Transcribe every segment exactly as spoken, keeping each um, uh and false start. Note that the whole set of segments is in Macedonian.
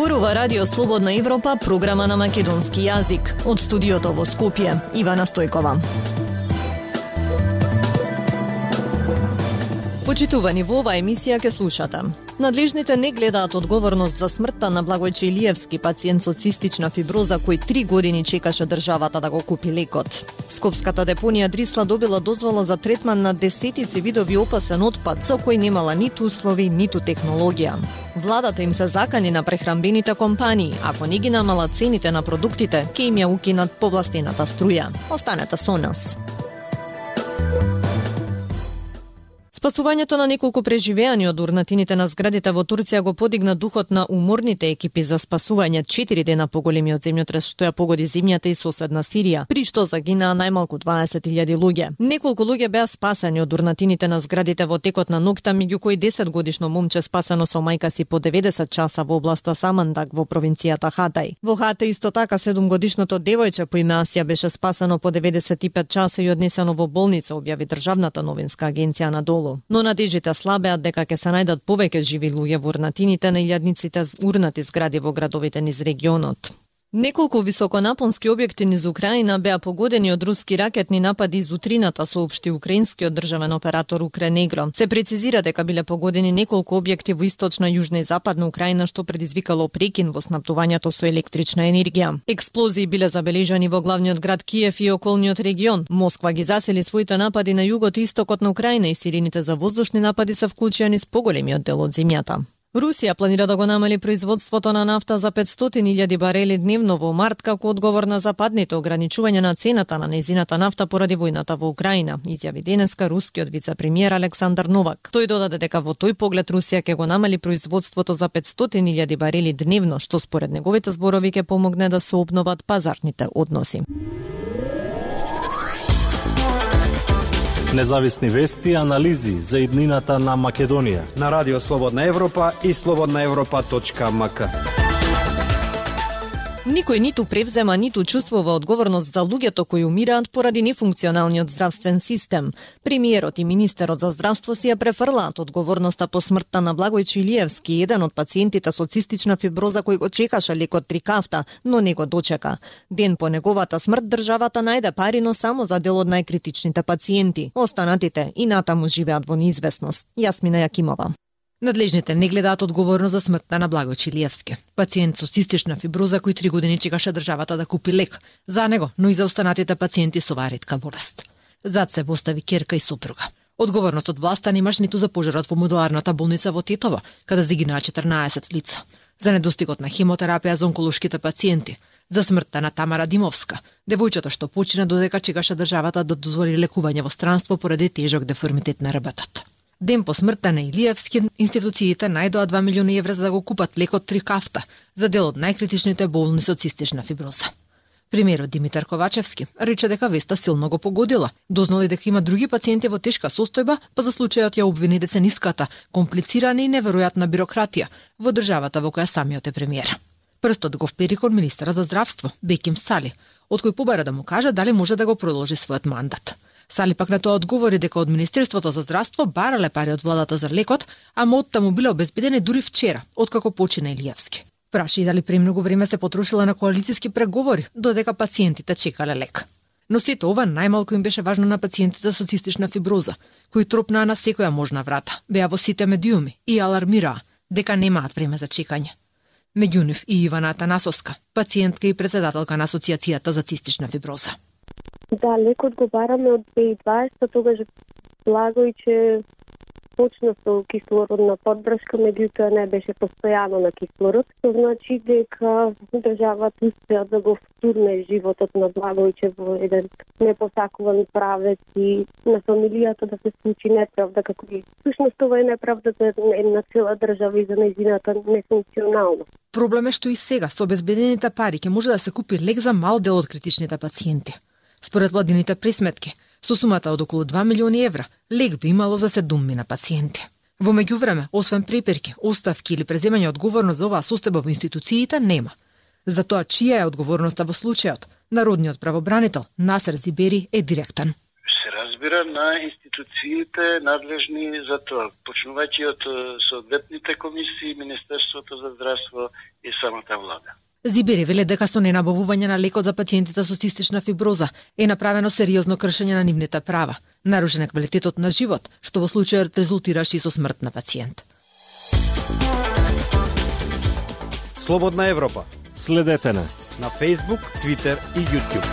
Зборува Радио Слободна Европа, програма на македонски јазик. Од студиото во Скопје, Ивана Стојкова. Почитувани, во оваа емисија ке слушате. Надлежните не гледаат одговорност за смртта на Благојче Илиевски, пациент со цистична фиброза кој три години чекаше државата да го купи лекот. Скопската депонија Дрисла добила дозвола за третман на десетици видови опасен отпад, за кој немала ниту услови, ниту технологија. Владата им се закани на прехранбените компании, ако не ги намала цените на продуктите, ке им ја укинат повластената струја. Останете со нас. Спасувањето на неколку преживеани од урнатините на зградите во Турција го подигна духот на уморните екипи за спасување четири дена по големиот земјотрес што ја погоди земјата и соседна Сирија, при што загинаа најмалку дваесет илјади луѓе. Неколку луѓе беа спасени од урнатините на зградите во текот на ноќта, меѓу кои десетгодишно момче спасено со мајка си по деветдесет часа во областа Самандак во провинцијата Хатај. Во Хатај исто така седумгодишното девојче по име Асија беше спасено по деветдесет и пет часа и однесено во болница, објави државната новинска агенција надолу. Но надежите слабеат дека ќе се најдат повеќе живи луѓе во урнатините на илјадниците урнати згради во градовите низ регионот. Неколку високонапонски објекти низ Украина беа погодени од руски ракетни напади из утрината, соопшти украинскиот државен оператор Укренегро. Се прецизира дека биле погодени неколку објекти во источна, јужна и западна Украина, што предизвикало прекин во снабдувањето со електрична енергија. Експлозии биле забележани во главниот град Киев и околниот регион. Москва ги засели своите напади на југот и истокот на Украина и сирените за воздушни напади се вклучени низ поголемиот дел од земјата. Русија планира да го намали производството на нафта за петстотини илјади барели дневно во март како одговор на западните ограничувања на цената на незината нафта поради војната во Украина, изјави денеска рускиот вице-премиер Александар Новак. Тој додаде дека во тој поглед Русија ќе го намали производството за петстотини илјади барели дневно, што според неговите зборови ќе помогне да се обноват пазарните односи. Независни вести и анализи за иднината на Македонија на Радио Слободна Европа и слободна европа точка ем ка. Никој ниту превзема, ниту чувствува одговорност за луѓето кои умираат поради нефункционалниот здравствен систем. Премиерот и министерот за здравство си ја префрлаат одговорноста по смртта на Благојче Илиевски, еден од пациентите со цистична фиброза кој го чекаше лекот Трикафта, но не го дочека. Ден по неговата смрт државата најде пари, но само за дел од најкритичните пациенти. Останатите и натаму живеат во неизвестност. Јасмина Јакимова. Надлежните не гледаат одговорност за смртта на Благојче Илиевски, пациент со цистична фиброза кој три години чекаше државата да купи лек за него, но и за останатите пациенти со оваа ретка болест. Зад се постави ќерка и сопруга. Одговорност од власта немаш ниту за пожарот во модуларната болница во Тетово, каде загинаа четрнаесет лица, за недостигот на хемотерапија за онколошките пациенти, за смртта на Тамара Димовска, девојчето што почина додека чекаше државата да дозволи лекување во странство поради тежок деформитет на рбтот. Ден по смртта на Илиевски, институциите најдоа два милиони евра за да го купат лекот Трикафта за дел од најкритичните болни со цистична фиброза. Премиерот Димитар Ковачевски рече дека веста силно го погодила. Дознали дека има други пациенти во тешка состојба, па за случајот ја обвини децениската, комплицирана и неверојатна бирократија во државата во која самиот е премиер. Прстот го впери кон министерот за здравство, Беким Сали, од кој побара да му каже дали може да го продолжи својот мандат. Сали пак на тоа одговори дека од Министерството за здравство барале пари од владата за лекот, а моттата му биле обезбедени дури вчера, откако почина Илиевски. Праша и дали премногу време се потрошила на коалициски преговори, додека пациентите чекале лек. Но сето ова најмалку им беше важно на пациентите со цистична фиброза, кои тропнаа на секоја можна врата, беа во сите медиуми и алармираа дека немаат време за чекање. Меѓу нив и Ивана Атанасовска, пациентка и председателка на Асоциацијата за цистична фиброза. Да, лекот го бараме од две илјади и дваесета, тогаш Благојче почна со кислородна поддршка, меѓутоа не беше постојано на кислород. Тоа значи дека државата успеа да го втурне животот на Благојче во еден непосакуван правец и на фамилијата да се случи неправда, како и всушност ова е неправда за една цела држава и за нејзината нефункционалност. Проблем е што и сега со обезбедените пари ќе може да се купи лек за мал дел од критичните пациенти. Според владините пресметки, со сумата од околу два милиони евра, лек би имало за седумина пациенти. Во меѓувреме, освен преперки, оставки или преземање одговорност за оваа состојба во институциите нема. За тоа чија е одговорноста во случајот, народниот правобранител Насер Зибери е директен. Се разбира разбира, на институциите надлежни за тоа, почнувајќи од соодветните комисии, Министерството за здравство и самата влада. Зибери веле дека со ненабавување на лекот за пациентите со цистична фиброза е направено сериозно кршење на нивните права, нарушен е квалитетот на живот, што во случајот резултираше и со смрт на пациент. Слободна Европа. Следете на на Facebook, Twitter и YouTube.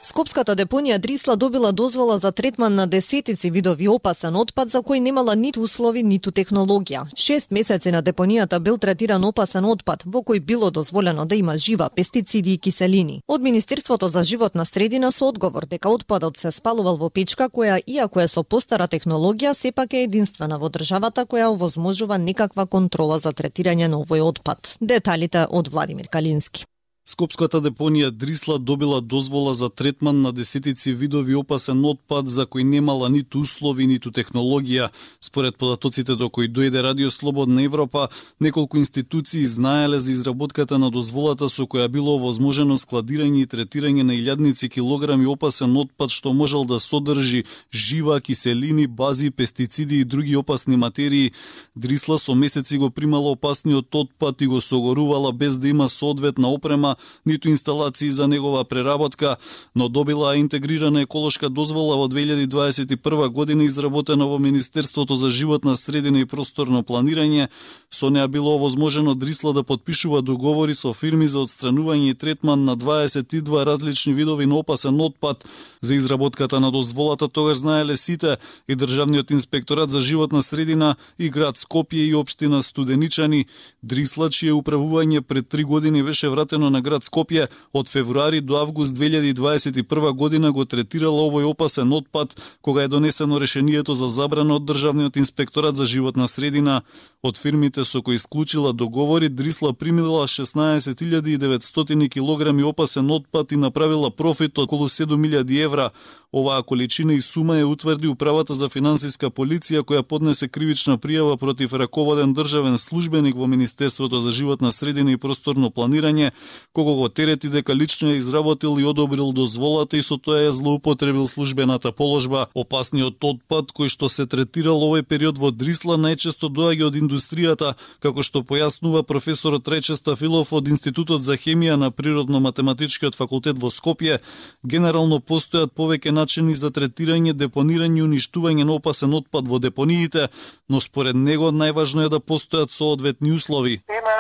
Скопската депонија Дрисла добила дозвола за третман на десетици видови опасен отпад за кој немала ниту услови, ниту технологија. Шест месеци на депонијата бил третиран опасен отпад, во кој било дозволено да има жива, пестициди и киселини. Од Министерството за животна средина со одговор дека отпадот се спалувал во печка која, иако е со постара технологија, сепак е единствена во државата која овозможува некаква контрола за третирање на овој отпад. Деталите од Владимир Калински. Скопската депонија Дрисла добила дозвола за третман на десетици видови опасен отпад за кој немала ниту услови, ниту технологија. Според податоците до кои дојде Радио Слободна Европа, неколку институции знаеле за изработката на дозволата со која било овозможено складирање и третирање на илјадници килограми опасен отпад што можел да содржи жива, киселини, бази, пестициди и други опасни материи. Дрисла со месеци го примала опасниот отпад и го согорувала без да има соодветна опрема, ниту инсталации за негова преработка, но добила интегрирана еколошка дозвола во две илјади дваесет и прва година изработена во Министерството за животна средина и просторно планирање. Со неа било овозможено Дрисла да подпишува договори со фирми за отстранување и третман на дваесет и два различни видови на опасен отпад. За изработката на дозволата тогаш знаеле сите, и Државниот инспекторат за животна средина, и град Скопје и општина Студеничани. Дрисла, чие управување пред три години беше вратено на град Скопје, од февруари до август две илјади дваесет и прва година го третирала овој опасен отпад, кога е донесено решението за забрана од Државниот инспекторат за животна средина. Од фирмите со кои исклучила договори, Дрисла примила шеснаесет илјади и деветстотини килограми опасен отпад и направила профит од околу седум илјади евра. Оваа количина и сума ја утврди Управата за финансиска полиција, која поднесе кривична пријава против раководен државен службеник во Министерството за животна средина и просторно планирање, кога го терети дека лично ја изработил и одобрил дозволата и со тоа ја злоупотребил службената положба. Опасниот отпад кој што се третирал овој период во Дрисла најчесто доаѓа од индустријата, како што појаснува професорот Рајче Стафилов од Институтот за хемија на Природно-математичкиот факултет во Скопје. Генерално постојат повеќе начини за третирање, депонирање и уништување на опасен отпад во депониите, но според него најважно е да постојат соодветни услови. Има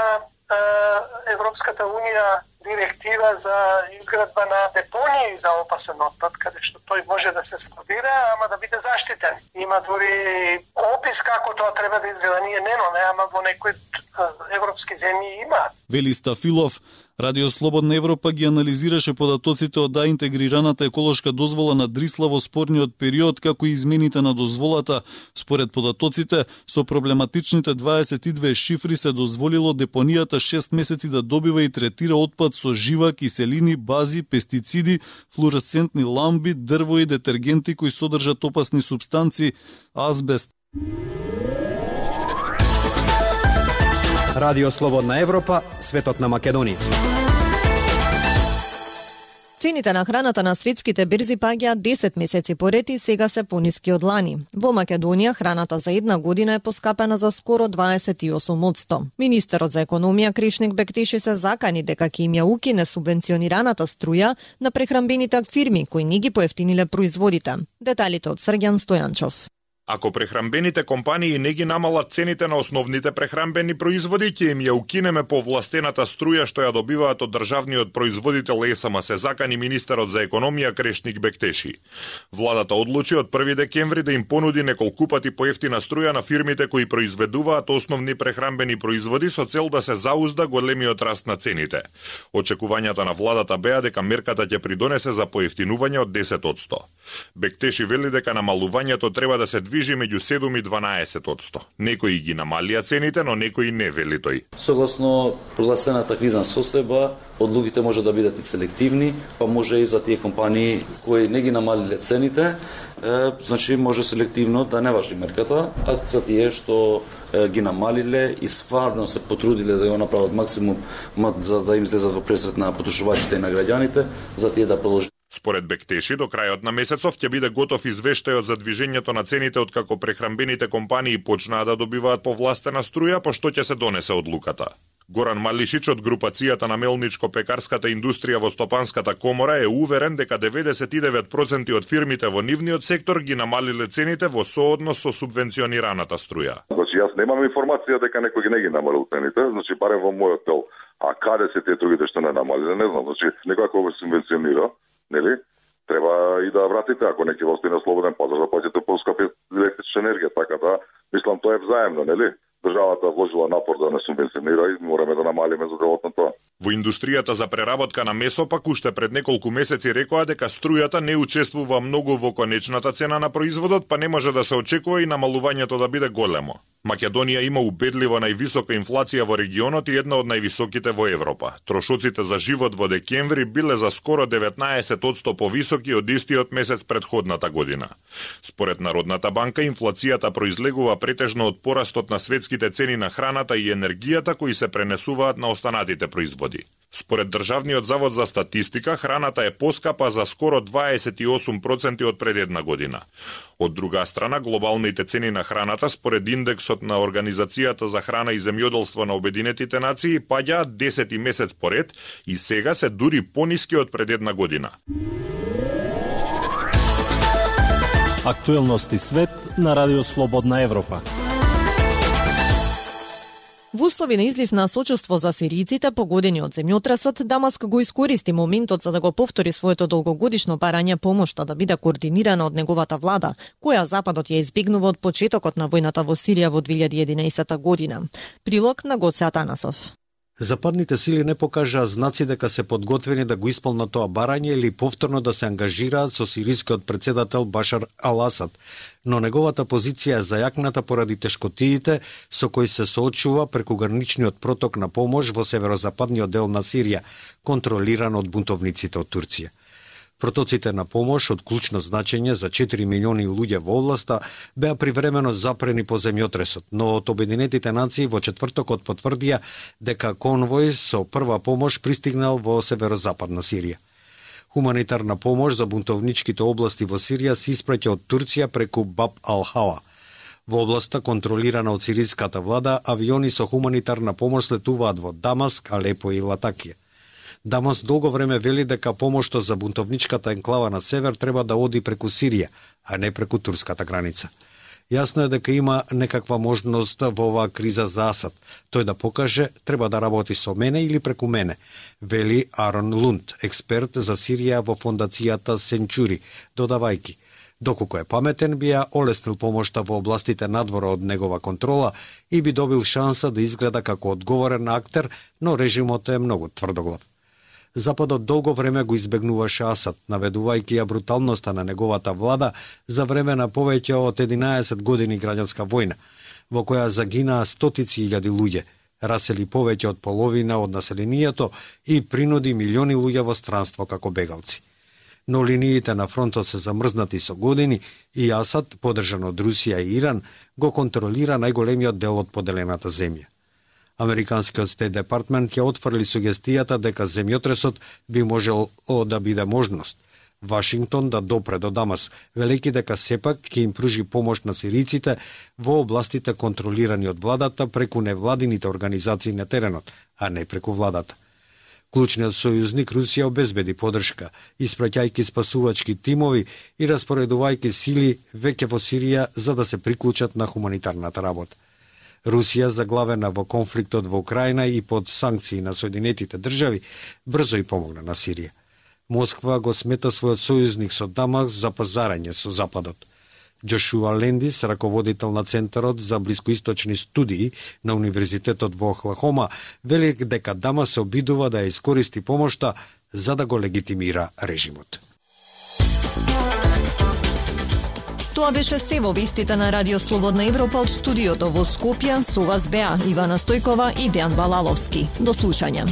е, Европската унија директива за изградба на депонии за опасен отпад, каде што тој може да се складира, ама да биде заштитен. Има дури опис како тоа треба да изгледа. Ние немаме, ама во некои европски земји имаат. Вели Стафилов. Радио Слободна Европа ги анализираше податоците од да интегрираната еколошка дозвола на Дрисла во спорниот период, како и измените на дозволата. Според податоците, со проблематичните дваесет и две шифри се дозволило депонијата шест месеци да добива и третира отпад со жива, киселини, бази, пестициди, флуоресцентни ламби, дрво и детергенти кои содржат опасни супстанци, азбест. Радио Слободна Европа, светот на Македонија. Цените на храната на светските берзи паѓаат десет месеци поред и сега се пониски од лани. Во Македонија храната за една година е поскапена за скоро дваесет и осум одсто. Министерот за економија Кришник Бектеши се закани дека ќе им ја укине субвенционираната струја на прехранбените фирми кои не ги поевтиниле производите. Деталите од Срѓан Стојанчов. Ако прехранбените компании не ги намалат цените на основните прехранбени производи, ќе им ја укинеме повластената струја што ја добиваат од државниот производител ЕСМ, се закани министерот за економија Крешник Бектеши. Владата одлучи од први декември да им понуди неколку пати поевтина струја на фирмите кои произведуваат основни прехранбени производи со цел да се заузда големиот раст на цените. Очекувањата на владата беа дека мерката ќе придонесе за поевтинување од десет одсто. Бектеши вели дека намалувањето треба да се движи меѓу седум и дванаесет одсто. Некои ги намалија цените, но некои не, вели тој. Согласно прогласената кризна состојба, одлуките може да бидат и селективни, па може и за тие компании кои не ги намалиле цените, е, значи може селективно да не важи мерката, а за тие што ги намалиле и стварно се потрудиле да го направат максимум за да им излезат во пресрет на потрошувачите и на граѓаните, за тие да продолжат. Според Бектеши, до крајот на месецов ќе биде готов извештајот за движењето на цените откако прехранбените компании почнаа да добиваат повластена струја, по што ќе се донесе одлуката. Горан Малишич од групацијата на мелничко-пекарската индустрија во Стопанската комора е уверен дека деветдесет и девет проценти од фирмите во нивниот сектор ги намалиле цените во сооднос со субвенционираната струја. Значи јас немам информација дека некој не ги намалил цените, значи барем во мојот дел. А каде се тие другите што не намалиле, не знам. Значи некој ако го субвенционира, нели? Треба и да вратите, ако не ќе остане слободен пазар, да платите поскапи електрична енергија, така да мислам тоа е взаемно, нели? Државата вложила напор да не субвенционира и мораме да намалиме за делот на тоа. Во индустријата за преработка на месо пак уште пред неколку месеци рекоа дека струјата не учествува многу во конечната цена на производот, па не може да се очекува и намалувањето да биде големо. Македонија има убедливо највисока инфлација во регионот и една од највисоките во Европа. Трошоците за живот во декември биле за скоро деветнаесет одсто повисоки од истиот месец претходната година. Според Народната банка, инфлацијата произлегува претежно од порастот на светските цени на храната и енергијата кои се пренесуваат на останатите производи. Според Државниот завод за статистика, храната е поскапа за скоро дваесет и осум проценти од пред една година. Од друга страна, глобалните цени на храната според индексот на Организацијата за храна и земјоделство на Обединетите нации паѓаат десети месец поред и сега се дури пониски од пред една година. Актуелности свет на Радио Слободна Европа. Во услови на излив на сочувство за сиријците погодени од земјотресот, Дамаск го искористи моментот за да го повтори своето долгогодишно барање помошта да биде координирана од неговата влада, која Западот ја избегнува од почетокот на војната во Сирија во две илјади и единаесета година. Прилог на Гоце Атанасов. Западните сили не покажаа знаци дека се подготвени да го исполнат тоа барање или повторно да се ангажираат со сирискиот претседател Башар ал-Асад, но неговата позиција е зајакната поради тешкотиите со кои се соочува преку граничниот проток на помош во северозападниот дел на Сирија, контролиран од бунтовниците од Турција. Протоците на помош од клучно значење за четири милиони луѓе во областа беа привремено запрени по земјотресот, но од Обединетите нации во четвртокот потврдија дека конвој со прва помош пристигнал во северозападна Сирија. Хуманитарна помош за бунтовничките области во Сирија се испраќа од Турција преку Баб ал-Хава. Во областа контролирана од сириската влада, авиони со хуманитарна помош слетуваат во Дамаск, Алепо и Латакија. Дамас долго време вели дека помошта за бунтовничката енклава на север треба да оди преку Сирија, а не преку турската граница. Јасно е дека има некаква можност во оваа криза за Асад. Тој да покаже, треба да работи со мене или преку мене, вели Арон Лунд, експерт за Сирија во фондацијата Сенчури, додавајки: доколку е паметен, би ја олеснил помошта во областите надвора од негова контрола и би добил шанса да изгледа како одговорен актер, но режимот е многу тврдоглав. Западот долго време го избегнуваше Асад, наведувајќи ја бруталноста на неговата влада за време на повеќе од единаесет години граѓанска војна, во која загинаа стотици илјади луѓе, расели повеќе од половина од населението и принуди милиони луѓе во странство како бегалци. Но линиите на фронтот се замрзнати со години и Асад, поддржан од Русија и Иран, го контролира најголемиот дел од поделената земја. Американскиот Стейт Департмент ја отфрли сугестијата дека земјотресот би можел да биде можност. Вашингтон да допре до Дамас, велејќи дека сепак ќе им пружи помош на сириците во областите контролирани од владата преку невладините организации на теренот, а не преку владата. Клучниот сојузник Русија обезбеди поддршка, испраќајќи спасувачки тимови и распоредувајќи сили веќе во Сирија за да се приклучат на хуманитарната работа. Русија, заглавена во конфликтот во Украина и под санкции на Соединетите држави, брзо и помогна на Сирија. Москва го смета својот сојузник со Дамаск за пазарање со Западот. Джошуа Лендис, раководител на Центарот за блискоисточни студии на Универзитетот во Охлахома, вели дека Дамаск се обидува да ја искористи помошта за да го легитимира режимот. Тоа беше се во вестите на Радио Слободна Европа од студиото во Скопје. Со вас беа Ивана Стојкова и Дејан Балаловски. До слушање.